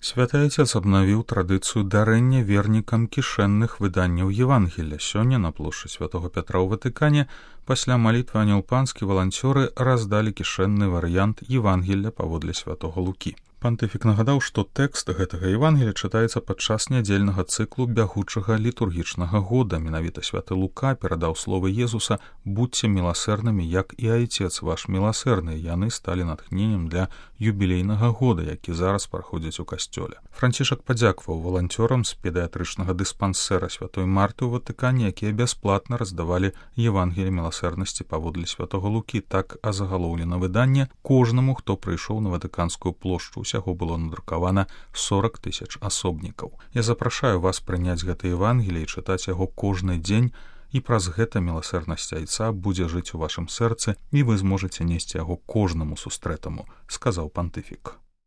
Святы Отец абнавіў традыцыю дарэння вернікам кішэнных выданняў Евангелля. Сёння на плошчы святого Пятра ў Ватыкане пасля малітвы Анёл Панскі валанцёры раздалі кішэнны варыянт Евангелля паводле святого Лукі. Пантыфік нагадаў, што тэкст гэтага Евангелля чытаецца падчас нядзельнага цыклу бягучага літургічнага года. Менавіта святы Лука перадаў словы Езуса «Будьце міласэрнымі, як і Айцец ваш міласэрны». Яны сталі натхненнем для юбілейнага года, які зараз праходзіць у касцёле. Францішак падзякаваў валанцёрам з педыятрычнага дыспансэра святой Марты ў Ватыкане, якія бясплатна раздавалі Евангелле міласэрнасці паводле святого Лукі. Так азагалоўлена выданне кожнаму, хто прыйшоў на Ватыканскую плошчу. Усяго было надрукавана 40 000 асобнікаў. Я запрашаю вас прыняць гэта Евангелле і чытаць яго кожны дзень, і праз гэта міласэрнасць Айца будзе жыць у вашым сэрцы, і вы зможаце несці яго кожнаму сустрэтаму, сказаў пантыфік.